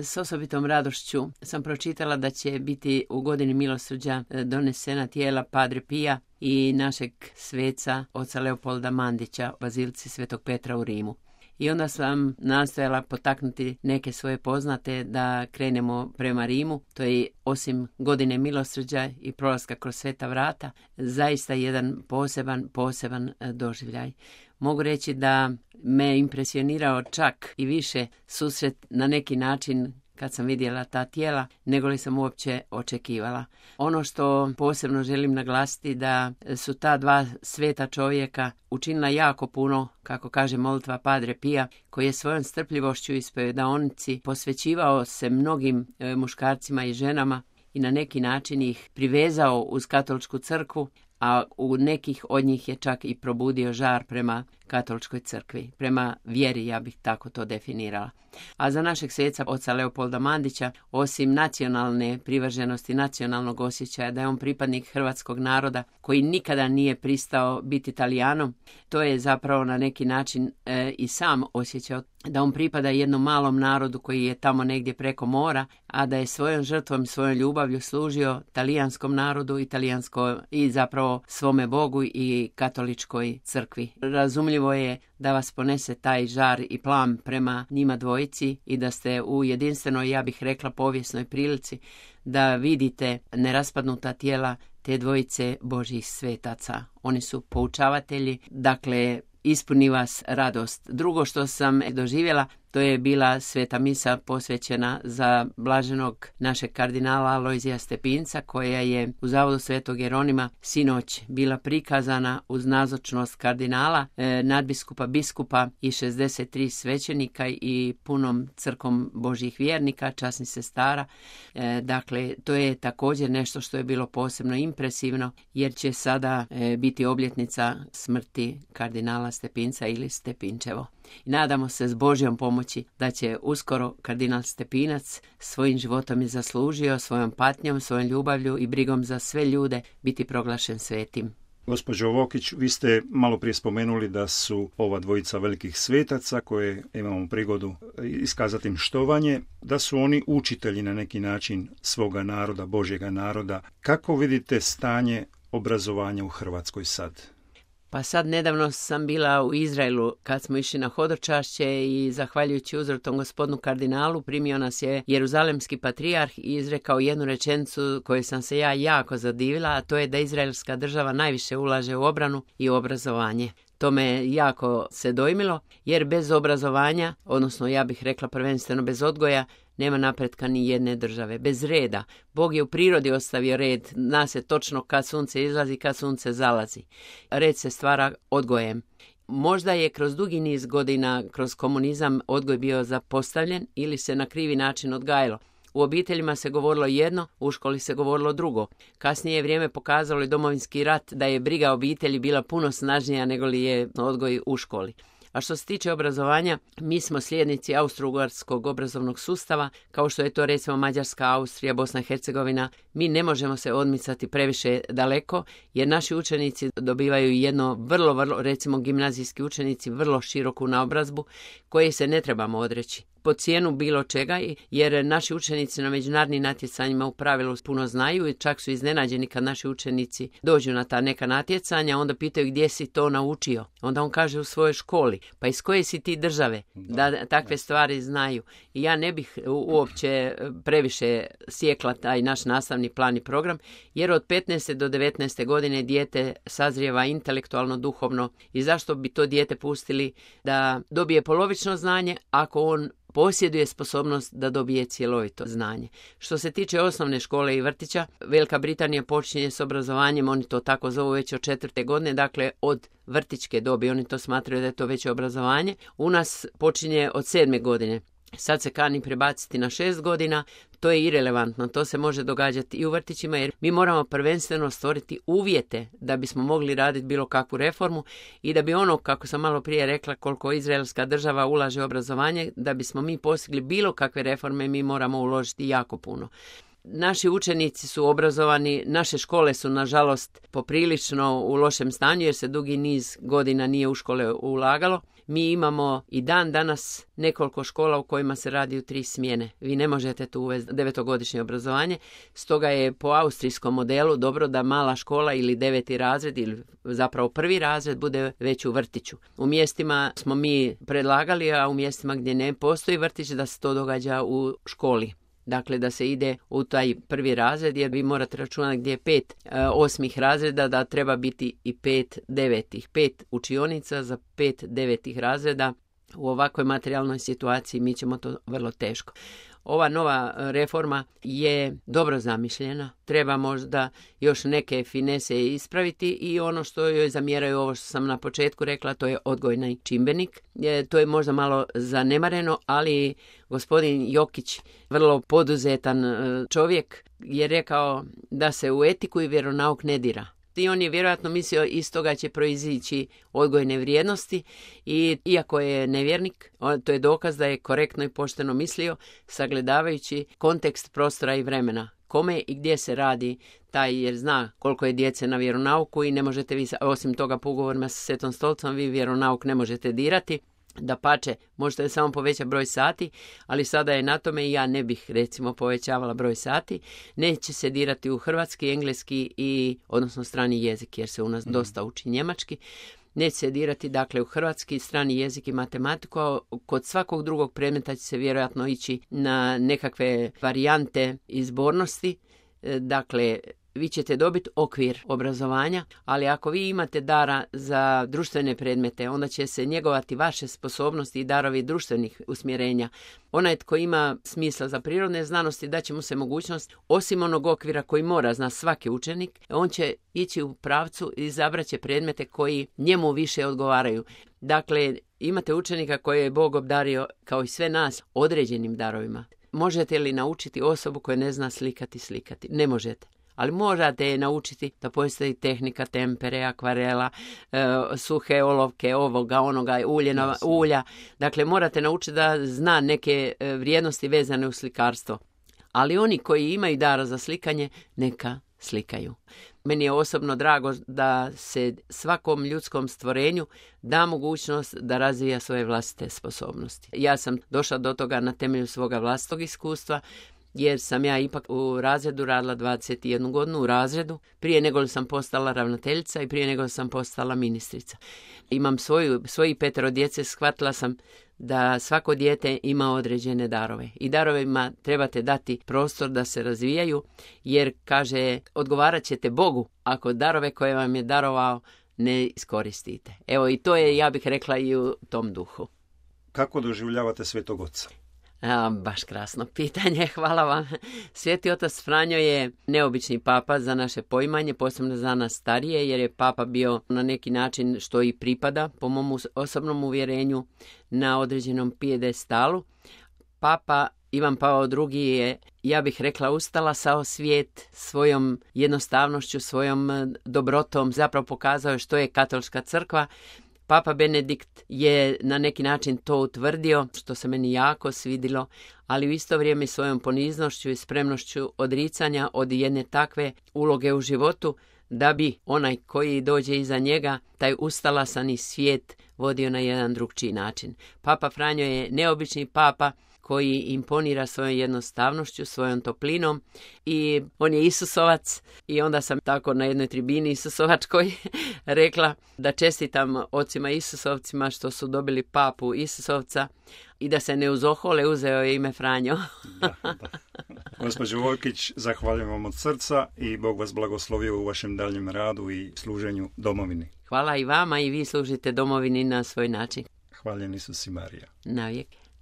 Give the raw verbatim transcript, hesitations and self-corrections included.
S osobitom radošću sam pročitala da će biti u godini milosrđa donesena tijela Padre Pija i našeg sveca oca Leopolda Mandića u bazilici Svetog Petra u Rimu. I onda sam nastojala potaknuti neke svoje poznate da krenemo prema Rimu. To je osim godine milosrđa i prolaska kroz sveta vrata zaista jedan poseban, poseban doživljaj. Mogu reći da me impresionirao čak i više susret na neki način kad sam vidjela ta tijela, nego li sam uopće očekivala. Ono što posebno želim naglasiti da su ta dva sveta čovjeka učinila jako puno, kako kaže molitva Padre Pija, koji je svojom strpljivošću ispovjedaonici posvećivao se mnogim e, muškarcima i ženama i na neki način ih privezao uz katoličku crkvu, a u nekih od njih je čak i probudio žar prema katoličkoj crkvi, prema vjeri, ja bih tako to definirala. A za našeg sveca, oca Leopolda Mandića, osim nacionalne privrženosti, nacionalnog osjećaja da je on pripadnik hrvatskog naroda koji nikada nije pristao biti Talijanom, to je zapravo na neki način e, i sam osjećao da on pripada jednom malom narodu koji je tamo negdje preko mora, a da je svojom žrtvom, svojom ljubavlju služio talijanskom narodu i, talijansko, i zapravo svome Bogu i katoličkoj crkvi. Razumljivo je da vas ponese taj žar i plam prema njima dvojici i da ste u jedinstvenoj, ja bih rekla, povijesnoj prilici da vidite neraspadnuta tijela te dvojice Božjih svetaca. Oni su poučavatelji, dakle ispuni vas radost. Drugo što sam doživjela, to je bila sveta misa posvećena za blaženog našeg kardinala Alojzija Stepinca, koja je u Zavodu Svetog Jeronima sinoć bila prikazana uz nazočnost kardinala, e, nadbiskupa, biskupa i šezdeset tri svećenika i punom crkom Božjih vjernika, časnih sestara. E, dakle, to je također nešto što je bilo posebno impresivno, jer će sada e, biti obljetnica smrti kardinala Stepinca ili Stepinčevo. I nadamo se s Božjom pomoći da će uskoro kardinal Stepinac svojim životom je zaslužio, svojom patnjom, svojom ljubavlju i brigom za sve ljude biti proglašen svetim. Gospođo Vokić, vi ste malo prije spomenuli da su ova dvojica velikih svetaca koje imamo prigodu iskazati im štovanje, da su oni učitelji na neki način svoga naroda, Božjega naroda. Kako vidite stanje obrazovanja u Hrvatskoj sad? Pa sad nedavno sam bila u Izraelu kad smo išli na hodočašće i zahvaljujući uzrotom gospodinu kardinalu primio nas je jeruzalemski patrijarh i izrekao jednu rečenicu koju sam se ja jako zadivila, a to je da izraelska država najviše ulaže u obranu i u obrazovanje. To me jako se dojmilo, jer bez obrazovanja, odnosno ja bih rekla prvenstveno bez odgoja, nema napretka ni jedne države. Bez reda. Bog je u prirodi ostavio red, zna se točno kad sunce izlazi, kad sunce zalazi. Red se stvara odgojem. Možda je kroz dugi niz godina, kroz komunizam, odgoj bio zapostavljen ili se na krivi način odgajalo. U obiteljima se govorilo jedno, u školi se govorilo drugo. Kasnije je vrijeme pokazalo i Domovinski rat da je briga obitelji bila puno snažnija nego li je odgoj u školi. A što se tiče obrazovanja, mi smo slijednici austro-ugarskog obrazovnog sustava, kao što je to recimo Mađarska, Austrija, Bosna i Hercegovina. Mi ne možemo se odmicati previše daleko, jer naši učenici dobivaju jedno vrlo, vrlo, recimo gimnazijski učenici, vrlo široku naobrazbu koje se ne trebamo odreći po cijenu bilo čega, jer naši učenici na međunarodnim natjecanjima u pravilu puno znaju i čak su iznenađeni kad naši učenici dođu na ta neka natjecanja, onda pitaju gdje si to naučio. Onda on kaže u svojoj školi. Pa iz koje si ti države da takve stvari znaju? I ja ne bih uopće previše sjekla taj naš nastavni plan i program, jer od petnaeste do devetnaeste godine dijete sazrijeva intelektualno, duhovno i zašto bi to dijete pustili da dobije polovično znanje ako on posjeduje sposobnost da dobije cjelovito znanje. Što se tiče osnovne škole i vrtića, Velika Britanija počinje s obrazovanjem, oni to tako zovu već od četvrte godine, dakle od vrtićke dobi, oni to smatraju da je to veće obrazovanje. U nas počinje od sedme godine. Sad se kani prebaciti na šest godina, to je irelevantno, to se može događati i u vrtićima jer mi moramo prvenstveno stvoriti uvjete da bismo mogli raditi bilo kakvu reformu i da bi ono, kako sam malo prije rekla, koliko izraelska država ulaže u obrazovanje, da bismo mi postigli bilo kakve reforme, mi moramo uložiti jako puno. Naši učenici su obrazovani, naše škole su nažalost poprilično u lošem stanju jer se dugi niz godina nije u škole ulagalo. Mi imamo i dan danas nekoliko škola u kojima se radi u tri smjene. Vi ne možete tu uvesti devetogodišnje obrazovanje, stoga je po austrijskom modelu dobro da mala škola ili deveti razred ili zapravo prvi razred bude već u vrtiću. U mjestima smo mi predlagali, a u mjestima gdje ne postoji vrtić da se to događa u školi. Dakle, da se ide u taj prvi razred, jer vi morate računati gdje je pet e, osmih razreda, da treba biti i pet devetih. Pet učionica za pet devetih razreda. U ovakvoj materijalnoj situaciji mi ćemo to vrlo teško. Ova nova reforma je dobro zamišljena. Treba možda još neke finese ispraviti i ono što joj zamjeraju, ovo što sam na početku rekla, to je odgojni čimbenik. E, to je možda malo zanemareno, ali gospodin Jokić, vrlo poduzetan čovjek, je rekao da se u etiku i vjeronauk ne dira. I on je vjerojatno mislio iz toga će proizići odgojne vrijednosti i iako je nevjernik, to je dokaz da je korektno i pošteno mislio, sagledavajući kontekst prostora i vremena. Kome i gdje se radi taj, jer zna koliko je djece na vjeronauku i ne možete vi, osim toga po ugovorima sa Svetom Stolicom, vi vjeronauk ne možete dirati. Dapače, možete samo povećati broj sati, ali sada je na tome i ja ne bih recimo povećavala broj sati. Neće se dirati u hrvatski, engleski i odnosno strani jezik, jer se u nas mm. dosta uči njemački. Neće se dirati dakle u hrvatski, strani jezik i matematiku, a kod svakog drugog predmeta će se vjerojatno ići na nekakve varijante izbornosti. Dakle, vi ćete dobiti okvir obrazovanja, ali ako vi imate dara za društvene predmete, onda će se njegovati vaše sposobnosti i darovi društvenih usmjerenja. Onaj tko ima smisla za prirodne znanosti, daće mu se mogućnost, osim onog okvira koji mora zna svaki učenik, on će ići u pravcu i izabrat će predmete koji njemu više odgovaraju. Dakle, imate učenika koje je Bog obdario, kao i sve nas, određenim darovima. Možete li naučiti osobu koja ne zna slikati slikati? Ne možete. Ali morate je naučiti da postoji tehnika tempere, akvarela, e, suhe olovke, ovoga, onoga, uljena, ulja. Dakle, morate naučiti da zna neke vrijednosti vezane u slikarstvo. Ali oni koji imaju dara za slikanje, neka slikaju. Meni je osobno drago da se svakom ljudskom stvorenju da mogućnost da razvija svoje vlastite sposobnosti. Ja sam došla do toga na temelju svoga vlastitog iskustva, jer sam ja ipak u razredu radila dvadeset jednu godinu u razredu, prije nego sam postala ravnateljica i prije nego sam postala ministrica. Imam svoju, svoji petero djece, shvatila sam da svako dijete ima određene darove i darovima trebate dati prostor da se razvijaju, jer kaže, odgovarat ćete Bogu ako darove koje vam je darovao ne iskoristite. Evo i to je, ja bih rekla, i u tom duhu. Kako doživljavate Svetog Oca? A, baš krasno pitanje, hvala vam. Sveti otac Franjo je neobični papa za naše poimanje, posebno za nas starije, jer je papa bio na neki način, što i pripada, po mom osobnom uvjerenju, na određenom pijedestalu. Papa Ivan Pavao drugi je, ja bih rekla, ustala sao svijet svojom jednostavnošću, svojom dobrotom, zapravo pokazao što je katolička crkva. Papa Benedikt je na neki način to utvrdio, što se meni jako svidilo, ali u isto vrijeme svojom poniznošću i spremnošću odricanja od jedne takve uloge u životu, da bi onaj koji dođe iza njega, taj ustalasani svijet, vodio na jedan drugčiji način. Papa Franjo je neobični papa koji imponira svojom jednostavnošću, svojom toplinom i on je Isusovac i onda sam tako na jednoj tribini Isusovačkoj rekla da čestitam ocima Isusovcima što su dobili papu Isusovca i da se ne uzohole, uzeo je ime Franjo. Da, da. Gospođo Vojkić, zahvaljujem vam od srca i Bog vas blagoslovio u vašem daljem radu i služenju domovini. Hvala i vama i vi služite domovini na svoj način. Hvaljen Isus i Marija. Navijek.